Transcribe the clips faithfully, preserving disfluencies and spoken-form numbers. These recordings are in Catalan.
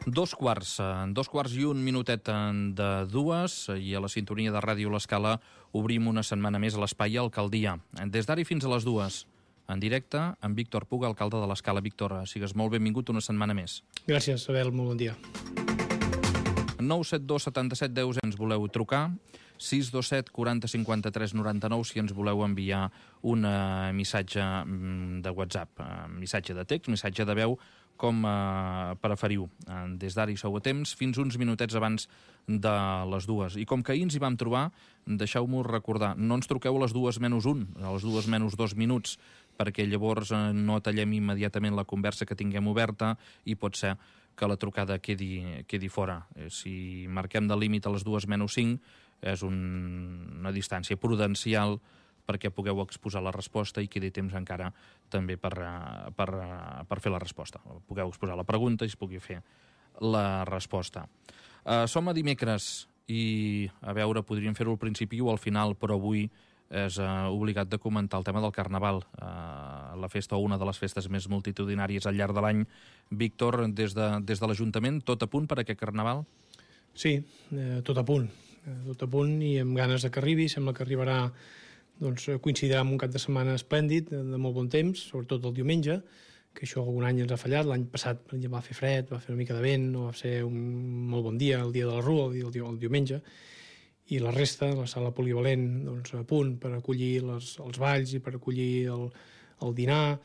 Dos quarts, dos quarts i un minutet de dues, i a la sintonia de Ràdio L'Escala obrim una setmana més a l'Espai Alcaldia. Des d'ara i fins a les dues, en directe, amb Víctor Puga, alcalde de l'Escala. Víctor, sigues molt benvingut una setmana més. Gràcies, Abel, molt bon dia. nou set dos setanta-set deu si ens voleu trucar, sis dos set quaranta cinquanta-tres noranta-nou si ens voleu enviar un uh, missatge de WhatsApp, uh, missatge de text, missatge de veu, com uh, preferiu. Uh, des d'ara hi sou a temps, fins uns minutets abans de les dues. I com que ahir ens hi vam trobar, deixeu-m'ho recordar, no ens truqueu a les dues menys un, a les dues menys dos minuts, perquè llavors uh, no tallem immediatament la conversa que tinguem oberta i pot ser que la trucada quedi, quedi fora. Si marquem de límit a les dues menys cinc, és un, una distància prudencial perquè pugueu exposar la resposta i quedi temps encara també per, per, per fer la resposta. Pugueu exposar la pregunta i es pugui fer la resposta. Uh, som a dimecres i, a veure, podríem fer-ho al principi o al final, però avui és uh, obligat de comentar el tema del Carnaval, uh, la festa o una de les festes més multitudinàries al llarg de l'any. Víctor, des de, des de l'Ajuntament, tot a punt per a aquest Carnaval? Sí, eh, tot a punt, eh, tot a punt i amb ganes de que arribi. Sembla que arribarà, doncs, coincidirà amb un cap de setmana esplèndid, de, de molt bon temps, sobretot el diumenge, que això algun any ens ha fallat. L'any passat, per exemple, va fer fred, va fer una mica de vent, no va ser un molt bon dia, el dia de la Rua, el, dia, el diumenge, i la resta, la sala polivalent, doncs, a punt per acollir les, els balls i per acollir el, el dinar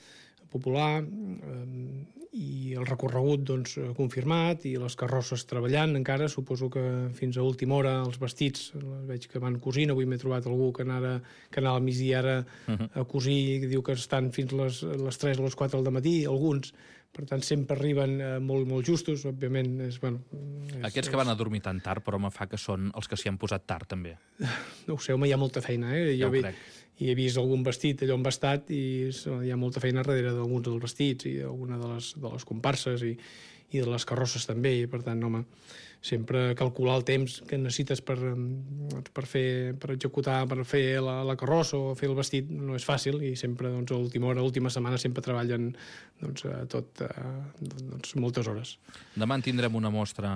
popular, eh, i el recorregut, doncs, confirmat, i les carrosses treballant encara. Suposo que fins a última hora els vestits, veig que van cosint. Avui m'he trobat algú que anava, que anava al migdia ara a cosir i diu que estan fins les, les tres o les quatre del matí, alguns. Per tant, sempre arriben eh, molt, molt justos, òbviament. És, bueno, és, Aquests que van a dormir tan tard, però me fa que són els que s'hi han posat tard, també. No ho sé, home, hi ha molta feina, eh? Ja jo ho he, crec. I he vist algun vestit allò embastat i hi ha molta feina darrere d'alguns dels vestits i d'alguna de les, de les comparses i, i de les carrosses també, i per tant, home, sempre calcular el temps que necessites per, per, fer, per executar, per fer la, la carrossa o fer el vestit no és fàcil, i sempre, doncs, a l'última hora, a l'última setmana sempre treballen, doncs, tot, doncs, moltes hores. Demà en tindrem una mostra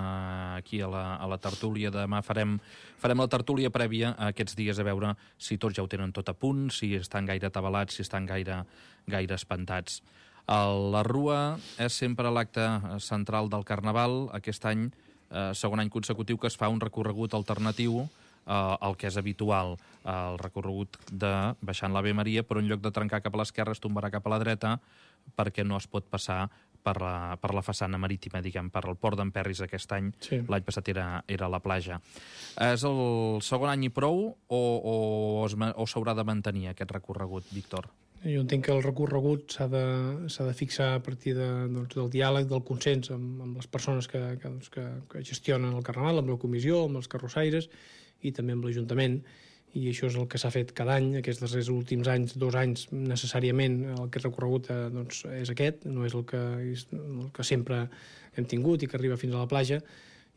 aquí a la, a la tertúlia. Demà farem, farem la tertúlia prèvia a aquests dies, a veure si tots ja ho tenen tot a punt, si estan gaire atabalats, si estan gaire, gaire espantats. La Rua és sempre l'acte central del Carnaval. Aquest any, eh, segon any consecutiu que es fa un recorregut alternatiu eh, al que és habitual, el recorregut de baixant l'Ave Maria, però en lloc de trencar cap a l'esquerra es tombarà cap a la dreta, perquè no es pot passar per la, per la façana marítima, diguem, per el port d'Emperris aquest any. Sí. L'any passat era, era la platja. És el segon any i prou o, o, o s'haurà de mantenir aquest recorregut, Víctor? Jo entenc que el recorregut s'ha de, s'ha de fixar a partir de, doncs, del diàleg, del consens amb, amb les persones que, que, doncs, que, que gestionen el Carnaval, amb la comissió, amb els carrossaires i també amb l'Ajuntament, i això és el que s'ha fet cada any. Aquests darrers últims anys, dos anys necessàriament, aquest recorregut eh, doncs, és aquest, no és el que, és el que sempre hem tingut i que arriba fins a la platja,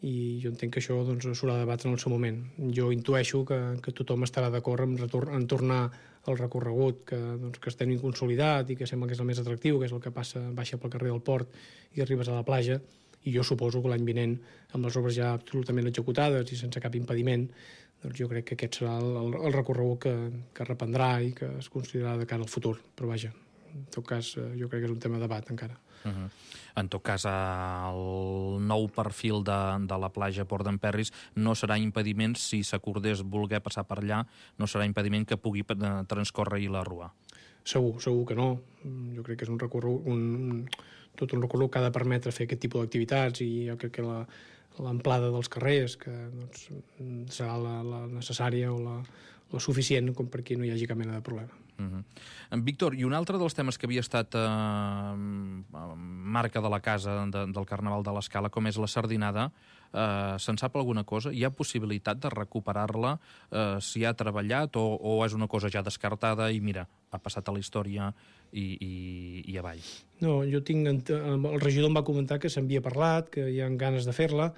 i jo entenc que això, doncs, s'haurà de debatre en el seu moment. Jo intueixo que, que tothom estarà d'acord en, retor- en tornar al recorregut que, doncs, que estem consolidat i que sembla que és el més atractiu, que és el que passa, baixa pel carrer del Port i arribes a la platja, i jo suposo que l'any vinent, amb les obres ja absolutament executades i sense cap impediment, doncs jo crec que aquest serà el, el, el recorregut que, que reprendrà i que es considerarà de cara al futur. Però vaja, en tot cas, jo crec que és un tema de debat encara. Uh-huh. En tot cas, el nou perfil de, de la platja Port d'Emperris no serà impediment, si s'acordés voler passar per allà, no serà impediment que pugui transcórrer-hi la Rua. Segur, segur que no. Jo crec que és un recorregut, un, tot un recorregut que ha de permetre fer aquest tipus d'activitats, i jo crec que la, l'amplada dels carrers, que, doncs, serà la, la necessària o la, la suficient com perquè no hi hagi cap mena de problema. Uh-huh. Víctor, i un altre dels temes que havia estat eh, marca de la casa de, del Carnaval de l'Escala, com és la sardinada, eh, se'n sap alguna cosa? Hi ha possibilitat de recuperar-la? Eh, s'hi ha treballat o, o és una cosa ja descartada i mira, ha passat a la història i, i, i avall? No, jo tinc... El regidor em va comentar que s'havia parlat, que hi ha ganes de fer-la,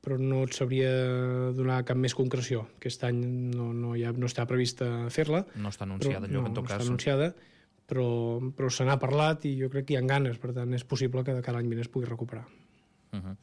però no et sabria donar cap més concreció. Aquest any no, no, ja no està prevista fer-la. No està anunciada, però, allò, no, en tot no cas. No està anunciada, però, però se n'ha parlat i jo crec que hi ha ganes, per tant és possible que de cada any vinent es pugui recuperar. Uh -huh.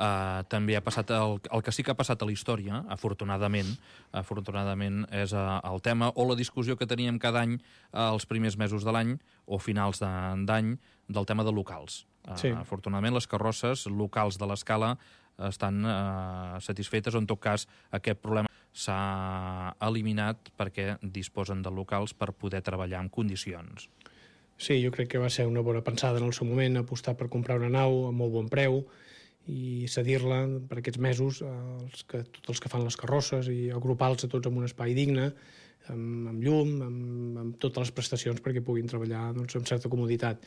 uh, també ha passat el, el que sí que ha passat a la història, afortunadament, afortunadament és uh, el tema o la discussió que teníem cada any uh, els primers mesos de l'any o finals d'any del tema de locals. Uh, sí. Afortunadament les carrosses locals de l'Escala estan uh, satisfetes o en tot cas aquest problema s'ha eliminat perquè disposen de locals per poder treballar en condicions. Sí, jo crec que va ser una bona pensada en el seu moment apostar per comprar una nau a molt bon preu i cedir-la per aquests mesos als que, tots els que fan les carrosses i agrupar-los a tots en un espai digne, amb, amb llum, amb, amb totes les prestacions perquè puguin treballar doncs, amb certa comoditat.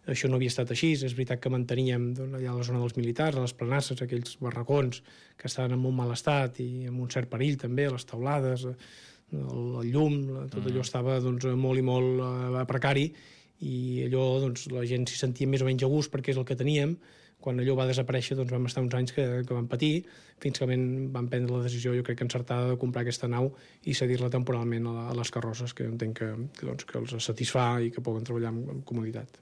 Això no havia estat així, és veritat que manteníem doncs, allà a la zona dels militars, a les planasses, aquells barracons que estaven en molt mal estat i amb un cert perill també, les teulades, el, el llum, tot allò estava doncs, molt i molt uh, precari i allò doncs, la gent s'hi sentia més o menys a gust perquè és el que teníem. Quan allò va desaparèixer doncs vam estar uns anys que, que vam patir, fins que vam prendre la decisió, jo crec que encertada, de comprar aquesta nau i cedir-la temporalment a, a les carrosses, que entenc que, que, doncs, que els satisfà i que poden treballar amb, amb comoditat.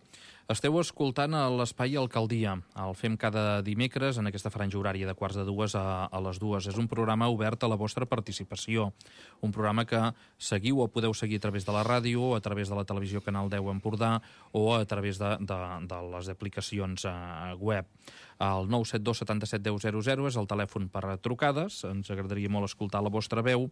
Esteu escoltant a l'Espai Alcaldia. El fem cada dimecres en aquesta franja horària de quarts de dues a, a les dues. És un programa obert a la vostra participació. Un programa que seguiu o podeu seguir a través de la ràdio, a través de la televisió Canal deu Empordà o a través de, de, de les aplicacions uh, web. El nou set dos setanta-set deu zero zero és el telèfon per a trucades. Ens agradaria molt escoltar la vostra veu.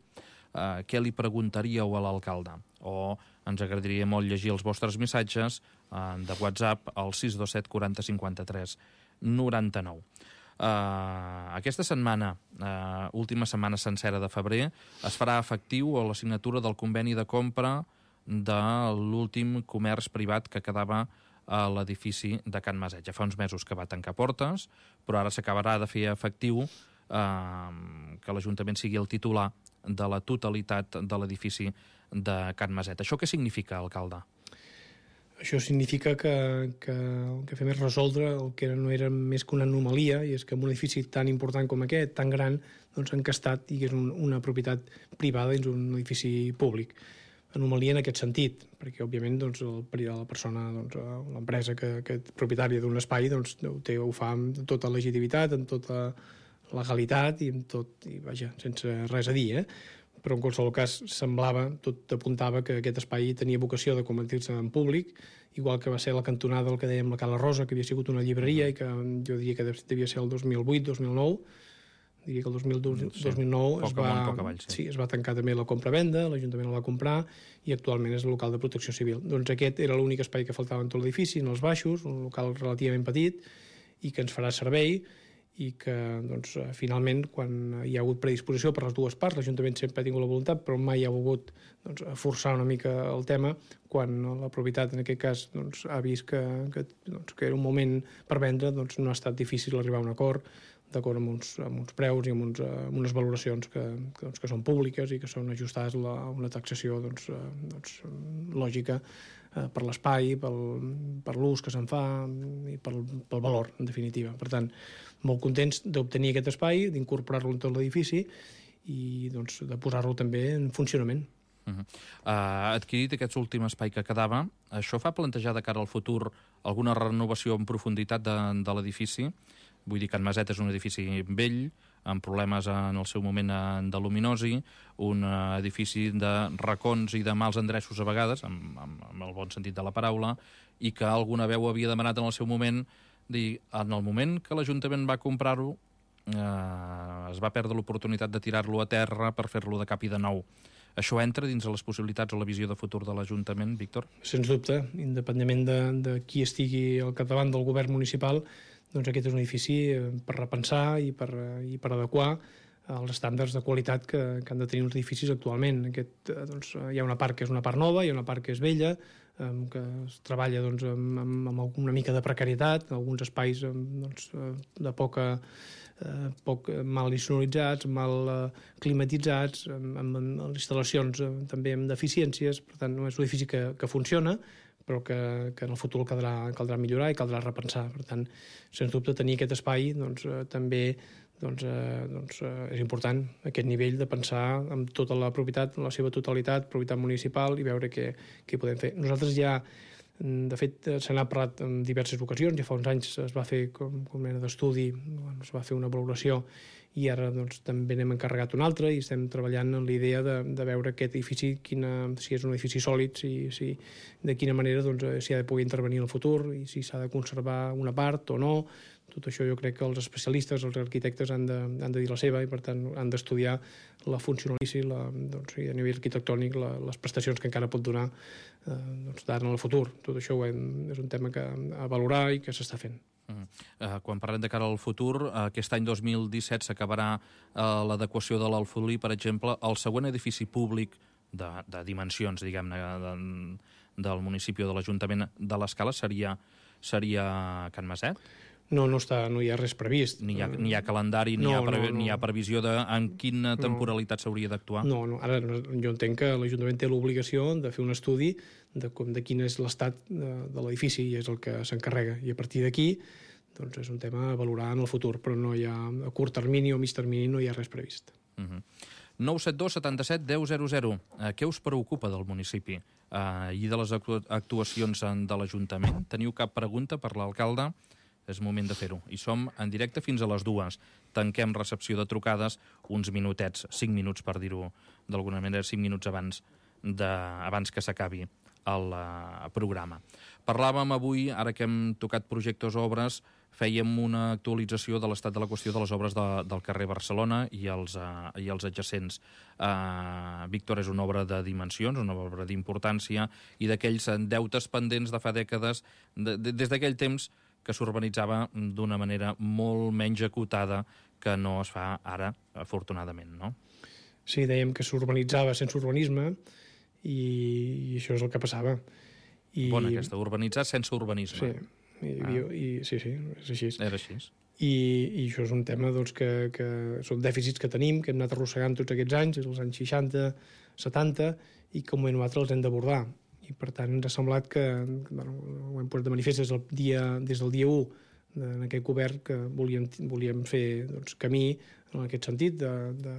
Uh, què li preguntaríeu a l'alcalde? O ens agradaria molt llegir els vostres missatges uh, de WhatsApp al sis dos set quaranta cinquanta-tres noranta-nou. Uh, aquesta setmana, uh, última setmana sencera de febrer, es farà efectiu la signatura del conveni de compra de l'últim comerç privat que quedava a l'edifici de Can Maset. Ja fa uns mesos que va tancar portes, però ara s'acabarà de fer efectiu uh, que l'Ajuntament sigui el titular de la totalitat de l'edifici de Can Maset. Això què significa, alcalde? Això significa que, que el que fem és resoldre el que no era més que una anomalia, i és que en un edifici tan important com aquest, tan gran, doncs encastat i que és un, una propietat privada dins un edifici públic. Anomalia en aquest sentit, perquè òbviament doncs, el, la persona, doncs, l'empresa que, que és propietària d'un espai doncs, ho, té, ho fa amb tota legitimitat, amb tota legalitat i amb tot, i vaja, sense res a dir, eh? Però en qualsevol cas semblava, tot apuntava que aquest espai tenia vocació de convertir-se en públic, igual que va ser la cantonada del que dèiem la Cala Rosa, que havia sigut una llibreria i que jo diria que devia ser el dos mil vuit dos mil nou, diria que el dos mil nou sí, es, va, avall, sí. Sí, es va tancar també la compra-venda, l'Ajuntament el va comprar i actualment és el local de protecció civil. Doncs aquest era l'únic espai que faltava en tot l'edifici, en els baixos, un local relativament petit i que ens farà servei i que doncs, finalment, quan hi ha hagut predisposició per les dues parts, l'Ajuntament sempre ha tingut la voluntat, però mai ha volgut doncs, forçar una mica el tema, quan la propietat, en aquest cas, doncs, ha vist que, que, doncs, que era un moment per vendre, doncs, no ha estat difícil arribar a un acord, d'acord amb, uns, amb uns preus i amb, uns, amb unes valoracions que, que, doncs, que són públiques i que són ajustades a una taxació doncs, doncs, lògica eh, per l'espai, pel, per l'ús que se'n fa i pel, pel valor, en definitiva. Per tant, molt contents d'obtenir aquest espai, d'incorporar-lo en tot l'edifici i doncs, de posar-lo també en funcionament. Uh -huh. uh, adquirit aquest últim espai que quedava, això fa plantejar de cara al futur alguna renovació en profunditat de, de l'edifici? Vull dir que Can Maset és un edifici vell, amb problemes en el seu moment de luminosi, un edifici de racons i de mals endreços a vegades, amb, amb, amb el bon sentit de la paraula, i que alguna veu havia demanat en el seu moment dir, en el moment que l'Ajuntament va comprar-ho, eh, es va perdre l'oportunitat de tirar-lo a terra per fer-lo de cap i de nou. Això entra dins de les possibilitats o la visió de futur de l'Ajuntament, Víctor? Sens dubte, independentment de, de qui estigui al capdavant del govern municipal, doncs aquest és un edifici per repensar i per, i per adequar als estàndards de qualitat que, que han de tenir els edificis actualment. Aquest, doncs, hi ha una part que és una part nova, hi ha una part que és vella, eh, que es treballa doncs, amb, amb, amb una mica de precarietat, alguns espais doncs, de poca... Eh, poc mal insonoritzats, mal eh, climatitzats, amb, amb, amb instal·lacions eh, també amb deficiències. Per tant, no és un edifici que, que funciona, però que, que en el futur caldrà, caldrà millorar i caldrà repensar. Per tant, sens dubte, tenir aquest espai doncs, eh, també doncs, eh, doncs, eh, és important, aquest nivell de pensar amb tota la propietat, en la seva totalitat, propietat municipal, i veure què, què podem fer. Nosaltres ja De fet, se n'ha parlat en diverses ocasions, ja fa uns anys es va fer com, com mena d'estudi, bueno, es va fer una valoració i ara doncs, també n'hem encarregat un altre i estem treballant en la idea de, de veure aquest edifici, quina, si és un edifici sòlid, si, si, de quina manera doncs, s'hi ha de poder intervenir en el futur i si s'ha de conservar una part o no. Tot això jo crec que els especialistes, els arquitectes han de, han de dir la seva i per tant han d'estudiar la funcionalitat la, doncs, i a nivell arquitectònic la, les prestacions que encara pot donar eh, doncs, d'ara en el futur. Tot això hem, és un tema que a valorar i que s'està fent. Uh, uh, quan parlem de cara al futur, uh, aquest any dos mil disset s'acabarà uh, l'adequació de l'Alfolí, per exemple. El següent edifici públic de, de dimensions, diguem-ne, de, del municipi o de l'Ajuntament de l'Escala seria, seria Can Maset? No, no, està, no hi ha res previst. Ni hi ha, ni hi ha calendari, ni, no, hi ha pre, no, no. ni hi ha previsió de en quina temporalitat s'hauria d'actuar? No, no, ara jo entenc que l'Ajuntament té l'obligació de fer un estudi de, com, de quin és l'estat de, de l'edifici i és el que s'encarrega. I a partir d'aquí doncs és un tema a valorar en el futur, però no hi ha, a curt termini o mig termini no hi ha res previst. Uh-huh. nou set dos setanta-set deu zero zero. Uh, què us preocupa del municipi uh, i de les actuacions de l'Ajuntament? Teniu cap pregunta per l'alcalde? És moment de fer-ho. I som en directe fins a les dues. Tanquem recepció de trucades uns minutets, cinc minuts per dir-ho d'alguna manera, cinc minuts abans, de, abans que s'acabi el uh, programa. Parlàvem avui, ara que hem tocat projectes o obres, fèiem una actualització de l'estat de la qüestió de les obres de, del carrer Barcelona i els, uh, i els adjacents. Uh, Víctor, és una obra de dimensions, una obra d'importància i d'aquells deutes pendents de fa dècades, de, de, des d'aquell temps que s'urbanitzava d'una manera molt menys acotada que no es fa ara, afortunadament, no? Sí, dèiem que s'urbanitzava sense urbanisme i, i això és el que passava. I... Bona aquesta, urbanitzar sense urbanisme. Sí, i, ah. i, i, sí, sí, és així. Era així. I, i això és un tema doncs, que, que són dèficits que tenim, que hem anat arrossegant tots aquests anys, els anys seixanta, setanta, i que un moment o altre els hem d'abordar. I per tant ens ha semblat que, bueno, ho hem posat de manifest des del dia, des del dia u en aquest govern, que volíem, volíem fer doncs, camí en aquest sentit de, de,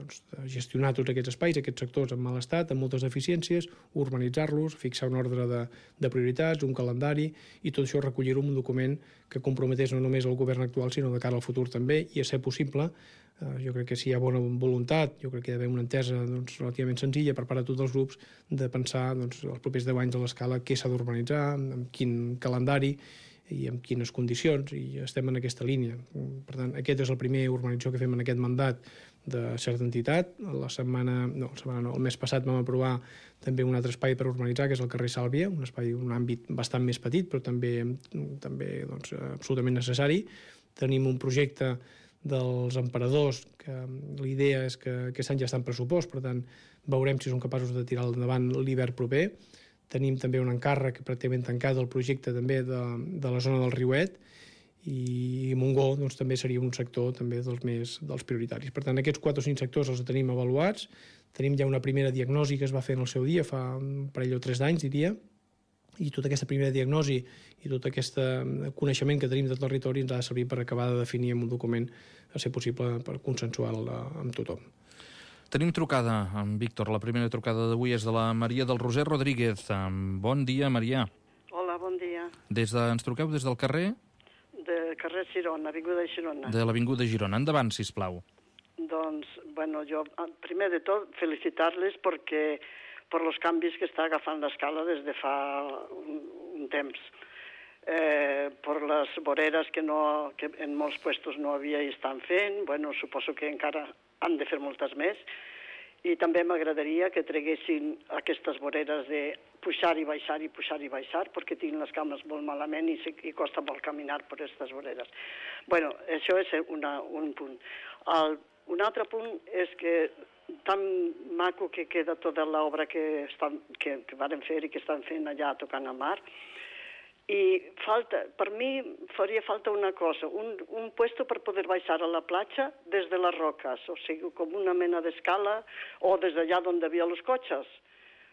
doncs, de gestionar tots aquests espais, aquests sectors en mal estat, amb moltes deficiències, urbanitzar-los, fixar un ordre de, de prioritats, un calendari, i tot això recollir-ho en un document que comprometés no només el govern actual, sinó de cara al futur també, i a ser possible. Uh, jo crec que si hi ha bona voluntat, jo crec que hi ha d'haver una entesa doncs, relativament senzilla per part de tots els grups de pensar doncs, els propers deu anys a l'escala què s'ha d'urbanitzar, amb quin calendari i amb quines condicions, i estem en aquesta línia. Per tant, aquest és el primer urbanització que fem en aquest mandat de certa entitat. La setmana, no, la setmana no, el mes passat vam aprovar també un altre espai per urbanitzar, que és el carrer Sàlvia, un espai, un àmbit bastant més petit, però també, també doncs, absolutament necessari. Tenim un projecte dels emperadors, que l'idea és que aquest any ja està en pressupost, per tant, veurem si som capaços de tirar endavant l'hivern proper. Tenim també un encàrrec pràcticament tancat del projecte també de, de la zona del Riuet, i Montgó doncs, també seria un sector també dels més dels prioritaris. Per tant, aquests quatre o cinc sectors els tenim avaluats, tenim ja una primera diagnosi que es va fer en el seu dia, fa un parell o tres d'anys, diria, i tota aquesta primera diagnosi i tot aquest coneixement que tenim del territori ens ha de servir per acabar de definir en un document, a ser possible, per consensuar-lo amb tothom. Tenim trucada amb Víctor. La primera trucada d'avui és de la Maria del Roser Rodríguez. Bon dia, Maria. Hola, bon dia. Des de, ens truqueu des del carrer? De carrer Girona, Avinguda Girona. De l'Avinguda Girona. Endavant, sisplau. Doncs, bueno, jo, primer de tot, felicitar-les perquè per els canvis que està agafant l'escala des de fa un, un temps. Eh, per les voreres que, no, que en molts puestos no havia i estan fent, bueno, suposo que encara han de fer moltes més, i també m'agradaria que treguessin aquestes voreres de pujar i baixar i pujar i baixar, perquè tinc les cames molt malament i, i costa molt caminar per aquestes voreres. Bueno, això és una, un punt. El, un altre punt és que tan maco que queda tota l'obra que, estan, que, que varen fer i que estan fent allà tocant a mar, i falta, per mi faria falta una cosa, un, un puesto per poder baixar a la platja des de les roques, o sigui, com una mena d'escala, o des d'allà on hi havia els cotxes,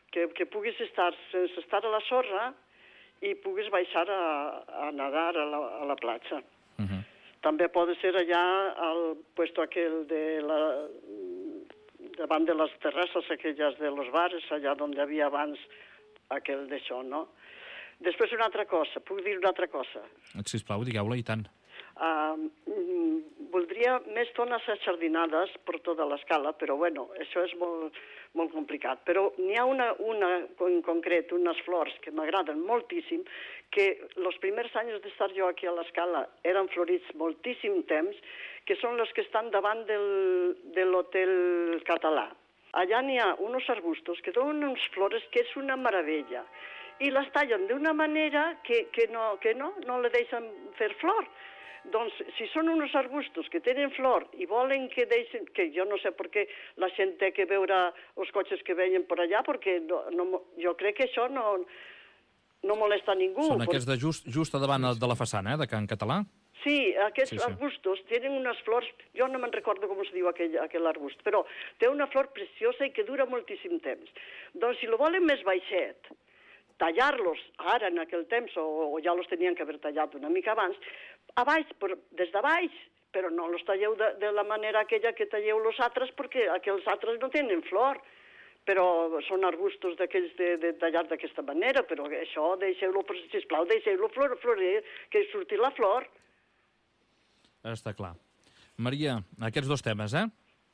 que, que puguis estar sense estar a la sorra i puguis baixar a, a nedar a la, a la platja. Uh-huh. També pot ser allà al puesto aquell de la, davant de les terrasses aquelles de los bares, allà on hi havia abans aquell d'això, no? Després una altra cosa, puc dir una altra cosa? Sisplau, digueu-la, i tant. Uh, mm, voldria més zones ajardinades per tota l'escala, però bueno, això és molt, molt complicat. Però n'hi ha una, una en concret, unes flors que m'agraden moltíssim, que els primers anys d'estar jo aquí a l'escala eren florits moltíssim temps, que són les que estan davant del, de l'Hotel Català. Allà n'hi ha uns arbustos que donen unes flores que és una meravella, i les tallen d'una manera que, que, no, que no, no le deixen fer flor. Doncs, si són uns arbustos que tenen flor i volen que deixen, que jo no sé per què la gent té que veure els cotxes que veien per allà, perquè no, no, jo crec que això no, no molesta a ningú. Són aquests de just, just a davant de la façana, eh, de Can Català? Sí, aquests sí, sí. arbustos tenen unes flors, jo no me'n recordo com es diu aquell, aquell arbust, però té una flor preciosa i que dura moltíssim temps. Doncs si lo volen més baixet, tallar-los ara en aquell temps, o, o ja los tenien que haver tallat una mica abans, a baix, per, des de baix, però no los talleu de, de la manera aquella que talleu los altres, perquè aquells altres no tenen flor, però són arbustos d'aquells de, de tallar d'aquesta manera, però això deixeu-lo, sisplau, deixeu-lo flor, florir, que surti la flor. Està clar. Maria, aquests dos temes, eh?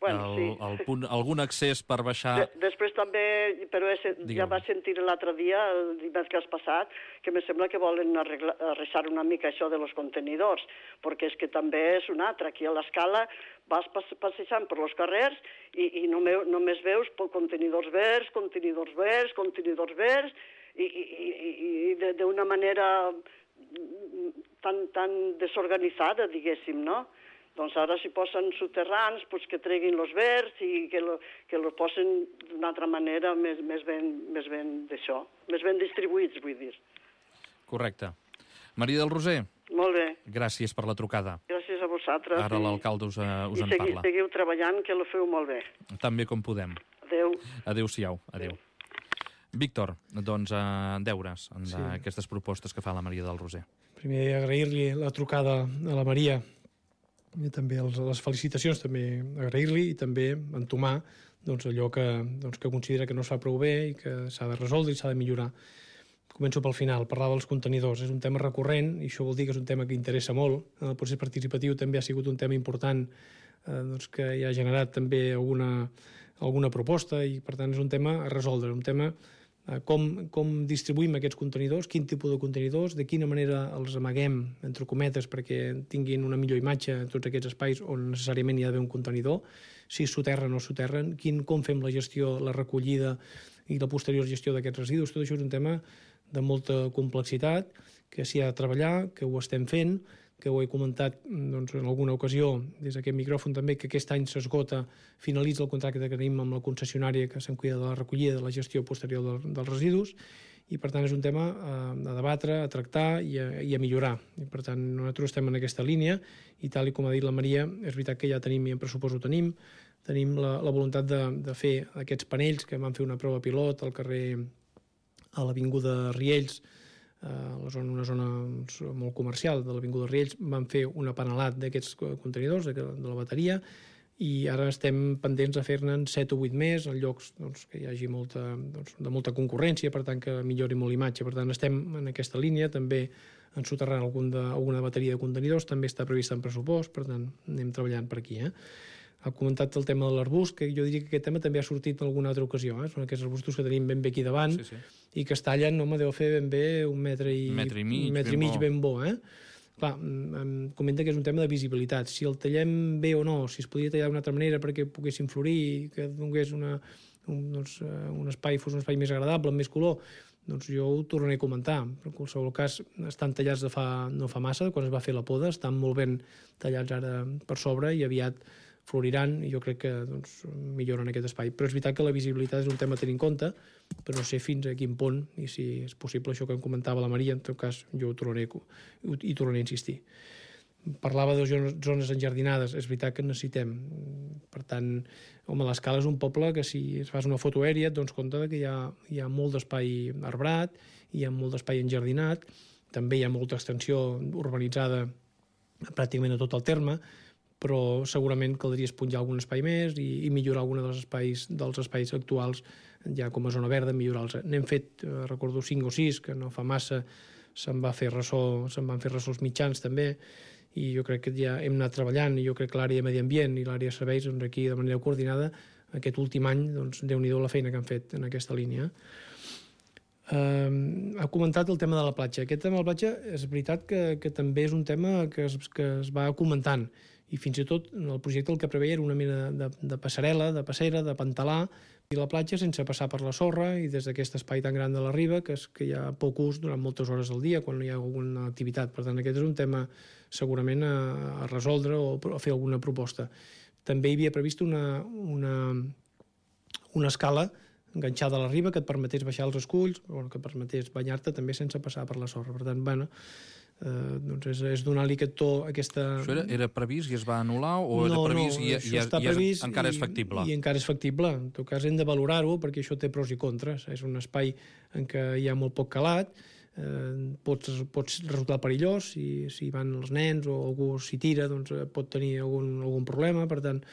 Bueno, el, sí. el punt, algun accés per baixar... De, després també, però he, ja va sentir l'altre dia, el dimecres passat, que me sembla que volen arreglar, arreglar una mica això de los contenidors, perquè és que també és un altre. Aquí a l'escala vas passejant per els carrers i, i només, només veus contenidors verds, contenidors verds, contenidors verds, i, i, i, i d'una manera tan, tan desorganitzada, diguéssim, no? Doncs ara si posen soterrans, pues que treguin els verds i que lo, que lo posen d'una altra manera més, més ben, més ben d'això, més ben distribuïts, vull dir. Correcte. Maria del Roser. Molt bé. Gràcies per la trucada. Gràcies a vosaltres. Ara l'alcalde us, uh, us i en segui, parla. seguiu treballant, que lo feu molt bé. Tan bé com podem. Adéu. Adéu-siau. Adéu. Víctor, doncs, uh, deures d'aquestes sí. propostes que fa la Maria del Roser. Primer, agrair-li la trucada a la Maria, i també els, les felicitacions, també agrair-li i també entomar doncs, allò que, doncs, que considera que no es fa prou bé i que s'ha de resoldre i s'ha de millorar. Començo pel final, parlava dels contenidors. És un tema recurrent i això vol dir que és un tema que interessa molt. El procés participatiu també ha sigut un tema important eh, doncs, que ja ha generat també alguna, alguna proposta i per tant és un tema a resoldre, un tema Com, com distribuïm aquests contenidors, quin tipus de contenidors, de quina manera els amaguem, entre cometes, perquè tinguin una millor imatge en tots aquests espais on necessàriament hi ha d'haver un contenidor, si soterren o soterren, quin, com fem la gestió, la recollida i la posterior gestió d'aquests residus. Tot això és un tema de molta complexitat, que s'hi ha de treballar, que ho estem fent, que ho he comentat doncs, en alguna ocasió des d'aquest micròfon també, que aquest any s'esgota, finalitza el contracte que tenim amb la concessionària que se'n cuida de la recollida, de la gestió posterior del, dels residus, i per tant és un tema a, a debatre, a tractar i a, i a millorar. I per tant nosaltres estem en aquesta línia i tal i com ha dit la Maria, és veritat que ja tenim i en pressupost ho tenim, tenim la, la voluntat de, de fer aquests panells que van fer una prova pilot al carrer, a l'avinguda Riells, Uh, una zona molt comercial de l'Avinguda Riells, van fer un apanelat d'aquests contenidors, de, de la bateria, i ara estem pendents de fer-ne'n set o vuit més en llocs doncs, que hi hagi molta, doncs, de molta concurrència, per tant que millori molt l'imatge. Per tant estem en aquesta línia, també ensoterrant algun de, alguna bateria de contenidors, també està prevista en pressupost, per tant anem treballant per aquí. Eh? Ha comentat el tema de l'arbust, que jo diria que aquest tema també ha sortit en alguna altra ocasió. Eh? Són aquests arbustos que tenim ben bé aquí davant sí, sí. i que es tallen, home, deu fer ben bé un metre i, metre i mig, un metre ben, i mig bo. ben bo. Eh? Clar, em comenta que és un tema de visibilitat. Si el tallem bé o no, si es podria tallar d'una altra manera perquè poguessin florir, que donés una, un, doncs, un espai, fos un espai més agradable, amb més color, doncs jo ho tornaré a comentar. Però en qualsevol cas, estan tallats de fa, no fa massa, quan es va fer la poda, estan molt ben tallats ara per sobre i aviat floriran i jo crec que doncs, milloren aquest espai. Però és veritat que la visibilitat és un tema a tenir en compte, però no sé fins a quin punt i si és possible això que em comentava la Maria, en tot cas jo ho tornaré, hi tornaré a insistir. Parlava de zones enjardinades, és veritat que necessitem. Per tant, home, l'Escala és un poble que si es fas una foto aèria et dones compte que hi ha, hi ha molt d'espai arbrat, hi ha molt d'espai enjardinat, també hi ha molta extensió urbanitzada pràcticament a tot el terme, però segurament caldria esponjar algun espai més i, i millorar algun dels espais, dels espais actuals ja com a zona verda, millorar-los. N'hem fet, eh, recordo, cinc o sis, que no fa massa, se'n va fer ressò, se'n van fer ressò els mitjans també, i jo crec que ja hem anat treballant, i jo crec que l'àrea de medi ambient i l'àrea de serveis, doncs aquí de manera coordinada, aquest últim any, doncs, Déu-n'hi-do la feina que han fet en aquesta línia. Uh, ha comentat el tema de la platja. Aquest tema de la platja és veritat que, que també és un tema que es, que es va comentant, i fins i tot el projecte el que preveia era una mena de, de passarel·la, de passera, de pantalà, i la platja sense passar per la sorra, i des d'aquest espai tan gran de la riba, que, és, que hi ha poc ús durant moltes hores al dia quan no hi ha alguna activitat. Per tant, aquest és un tema segurament a, a resoldre o a fer alguna proposta. També hi havia previst una, una, una escala enganxada a la riba que et permetés baixar els esculls, o que et permetés banyar-te també sense passar per la sorra. Per tant, bueno, eh, doncs és, és donar-li aquest to, aquesta... Això era, era previst i es va anul·lar, o no, era previst no, i, això i, està i, previst i encara i, és factible? I encara és factible. En tot cas, hem de valorar-ho, perquè això té pros i contres. És un espai en què hi ha molt poc calat, eh, pots, pots resultar perillós, si, si van els nens o algú s'hi tira, doncs pot tenir algun, algun problema. Per tant,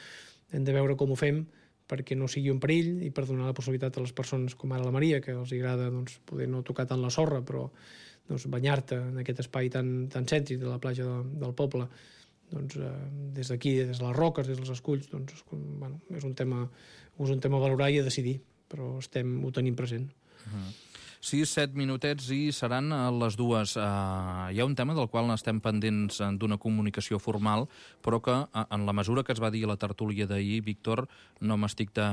hem de veure com ho fem perquè no sigui un perill i per donar la possibilitat a les persones com ara la Maria, que els agrada doncs, poder no tocar tant la sorra, però doncs, banyar-te en aquest espai tan, tan cèntric de la platja de, del poble, doncs, eh, des d'aquí, des de les roques, des dels esculls, doncs, bueno, és un tema, és un tema a valorar i a decidir, però estem, ho tenim present. Uh-huh. sis, set minutets i seran les dues. Uh, hi ha un tema del qual estem pendents d'una comunicació formal, però que uh, en la mesura que es va dir a la tertúlia d'ahir, Víctor, no m'estic de,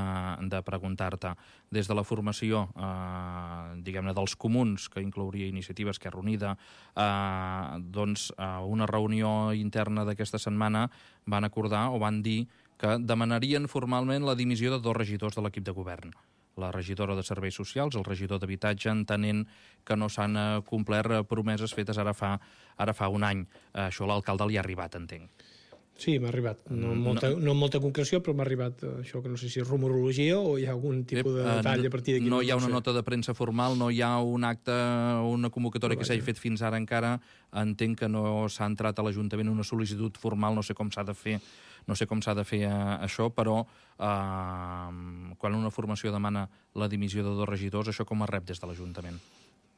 de preguntar-te. Des de la formació, uh, diguem-ne, dels comuns, que inclouria Iniciativa Esquerra Unida, uh, doncs uh, una reunió interna d'aquesta setmana van acordar o van dir que demanarien formalment la dimissió de dos regidors de l'equip de govern. La regidora de Serveis Socials, el regidor d'Habitatge, entenent que no s'han complert promeses fetes ara fa, ara fa un any. Això a l'alcalde li ha arribat, entenc. Sí, m'ha arribat. No amb molta, no. no amb molta concreció, però m'ha arribat això, que no sé si és rumorologia o hi ha algun tipus de detall a partir d'aquí. No hi ha una nota de premsa formal, no hi ha un acte, una convocatòria que s'hagi fet fins ara encara. Entenc que no s'ha entrat a l'Ajuntament una sol·licitud formal, no sé com s'ha de fer no sé com s'ha de fer eh, això, però eh, quan una formació demana la dimissió de dos regidors, això com es rep des de l'Ajuntament?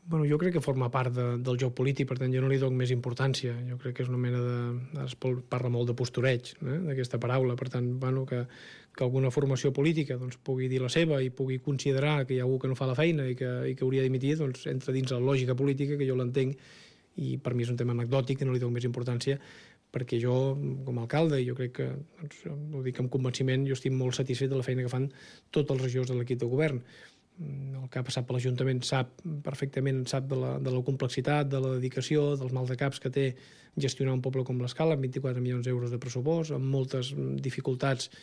Bueno, jo crec que forma part de, del joc polític, per tant jo no li dono més importància. Jo crec que és una mena de... Es parla molt de postureig, eh, d'aquesta paraula, per tant, bueno, que, que alguna formació política doncs, pugui dir la seva i pugui considerar que hi ha algú que no fa la feina i que, i que hauria d'imitir, doncs entra dins la lògica política, que jo l'entenc, i per mi és un tema anecdòtic, que no li dono més importància, perquè jo, com a alcalde, jo crec que, doncs, ho dic amb convenciment, jo estic molt satisfet de la feina que fan tots els regidors de l'equip de govern. El que ha passat per l'Ajuntament sap perfectament, sap de la, de la complexitat, de la dedicació, dels maldecaps que té gestionar un poble com l'Escala, amb vint-i-quatre milions d'euros de pressupost, amb moltes dificultats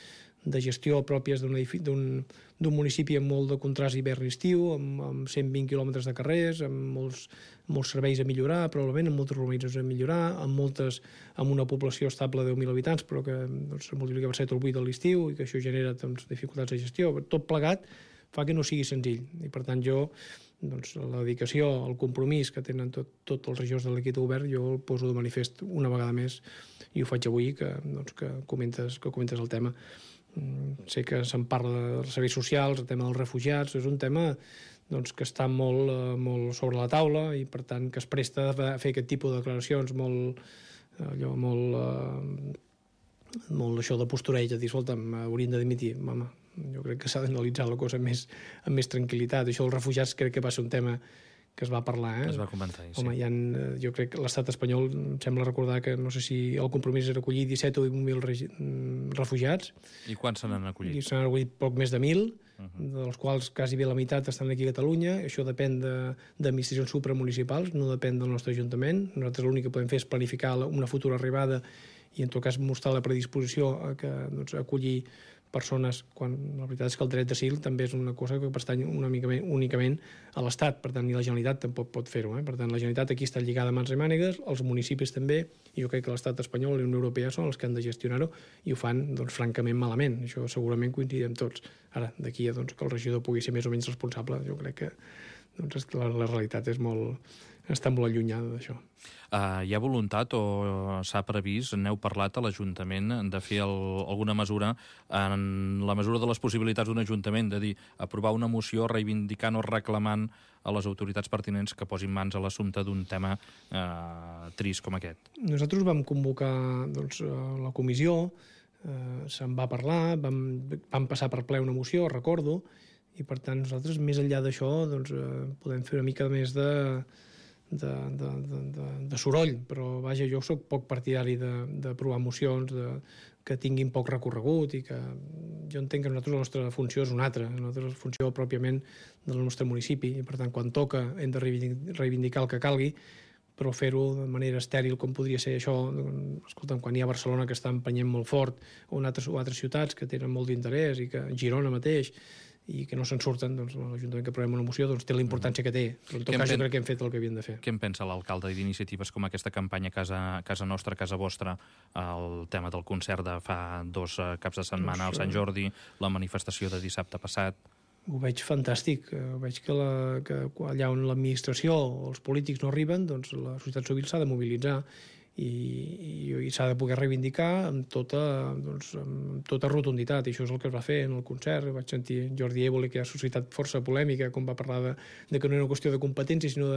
de gestió pròpies d'un municipi amb molt de contrast hivern-estiu, amb, amb cent vint quilòmetres de carrers, amb molts, molts serveis a millorar, probablement, amb moltes urbanitzacions a millorar, amb, moltes, amb una població estable de deu mil habitants, però que doncs, multiplica per set o vuit a l'estiu i que això genera doncs, dificultats de gestió. Tot plegat fa que no sigui senzill. I, per tant, jo, doncs, la dedicació, el compromís que tenen tots tot els regidors de l'equip de govern, jo el poso de manifest una vegada més i ho faig avui, que, doncs, que, comentes, que comentes el tema. Sé que se'n parla dels serveis socials, el tema dels refugiats, és un tema doncs, que està molt, molt sobre la taula i, per tant, que es presta a fer aquest tipus de declaracions molt, allò, molt, eh, molt això de postureig, de dir, escolta'm, hauríem de dimitir. Home, jo crec que s'ha d'analitzar la cosa amb més, amb més tranquil·litat. Això dels refugiats crec que va ser un tema que es va parlar. Eh? Es va comentar, sí. Home, hi ha, jo crec que l'estat espanyol, em sembla recordar que no sé si el compromís era acollir disset o divuit mil refugiats. I quants se n'han acollit? I se n'han acollit poc més de mil, uh-huh. dels quals quasi bé la meitat estan aquí a Catalunya. Això depèn d'administracions supramunicipals, no depèn del nostre Ajuntament. Nosaltres l'únic que podem fer és planificar una futura arribada i en tot cas mostrar la predisposició a, que, doncs, a acollir persones, quan la veritat és que el dret d'asil també és una cosa que pertany una mica, únicament a l'Estat, per tant, ni la Generalitat tampoc pot fer-ho. Eh? Per tant, la Generalitat aquí està lligada a mans i mànigues, els municipis també, i jo crec que l'Estat espanyol i la Unió Europea són els que han de gestionar-ho i ho fan, doncs, francament malament. Això segurament coincidim tots. Ara, d'aquí a doncs, que el regidor pugui ser més o menys responsable, jo crec que doncs la, la realitat és molt, està molt allunyada d'això. Uh, hi ha voluntat o s'ha previst, n'heu parlat a l'Ajuntament, de fer el, alguna mesura en la mesura de les possibilitats d'un Ajuntament, de dir, aprovar una moció reivindicant o reclamant a les autoritats pertinents que posin mans a l'assumpte d'un tema uh, trist com aquest? Nosaltres vam convocar doncs, la comissió, eh, se'n va parlar, vam, vam passar per ple una moció, recordo, i per tant nosaltres més enllà d'això doncs, eh, podem fer una mica més de De, de, de, de, de soroll, però vaja, jo sóc poc partidari d'aprovar mocions de, que tinguin poc recorregut i que jo entenc que nosaltres la nostra funció és una altra, nosaltres la funció pròpiament del nostre municipi i per tant quan toca hem de reivindicar el que calgui, però fer-ho de manera estèril com podria ser això, escolta'm, quan hi ha Barcelona que està empenyent molt fort o en altres, o altres ciutats que tenen molt d'interès i que Girona mateix i que no se'n surten, doncs l'Ajuntament que aprovem una moció doncs, té la importància que té. Però en tot cas jo crec que hem fet el que havien de fer. Què en pensa l'alcalde d'iniciatives com aquesta campanya Casa, Casa Nostra, Casa Vostra, el tema del concert de fa dos caps de setmana al Sant Jordi, la manifestació de dissabte passat? Ho veig fantàstic. Ho veig que, la, que allà on l'administració o els polítics no arriben, doncs la societat civil s'ha de mobilitzar i, i, i s'ha de poder reivindicar amb tota, doncs, amb tota rotunditat, i això és el que es va fer en el concert. Vaig sentir Jordi Évole, que ha suscitat força polèmica, com va parlar de, de que no era una qüestió de competència, sinó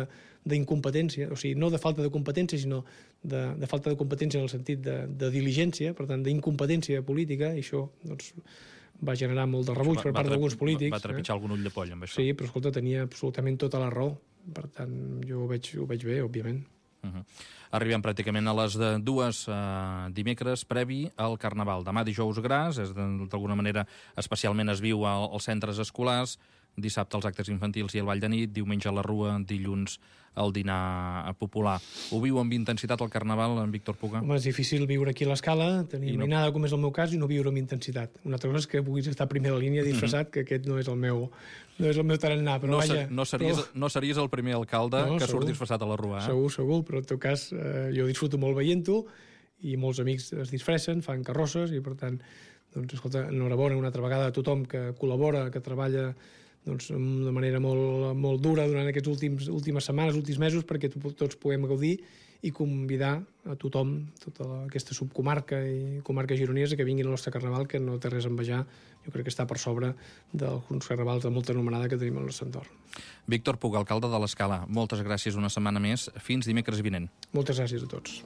d'incompetència, o sigui, no de falta de competència, sinó de, de falta de competència en el sentit de, de diligència, per tant, d'incompetència política, i això doncs, va generar molt de rebuig per part d'alguns polítics. Va trepitjar eh? algun ull de poll amb això. Sí, però escolta, tenia absolutament tota la raó. Per tant, jo ho veig, ho veig bé, òbviament. Uh-huh. Arribem pràcticament a les de dues uh, dimecres previ al Carnaval. Demà dijous gras, és d'alguna manera especialment es viu al, als centres escolars, dissabte els actes infantils i el ball de nit, diumenge a la Rua, dilluns el dinar popular. Ho viu amb intensitat el Carnaval, en Víctor Puga? Home, és difícil viure aquí a l'escala, tenir no... mainada, com és el meu cas, i no viure amb intensitat. Una altra cosa és que puguis estar a primera línia disfressat, mm-hmm. que aquest no és el meu, no és el meu tarannà, però no, vaja... No series, però... no series el primer alcalde no, que segur, surt disfressat a la Rua, eh? Segur, segur, però en tot cas eh, jo disfruto molt veient-ho, i molts amics es disfressen, fan carrosses, i per tant, doncs, escolta, enhorabona una altra vegada a tothom que col·labora, que treballa doncs, de manera molt, molt dura durant aquests últims últimes setmanes, últims mesos, perquè tots puguem gaudir i convidar a tothom, tota la, aquesta subcomarca i comarca gironesa, que vinguin al nostre Carnaval, que no té res a envejar, jo crec que està per sobre d'alguns carnavals de molta anomenada que tenim al nostre entorn. Víctor Puga, alcalde de l'Escala, moltes gràcies una setmana més. Fins dimecres vinent. Moltes gràcies a tots.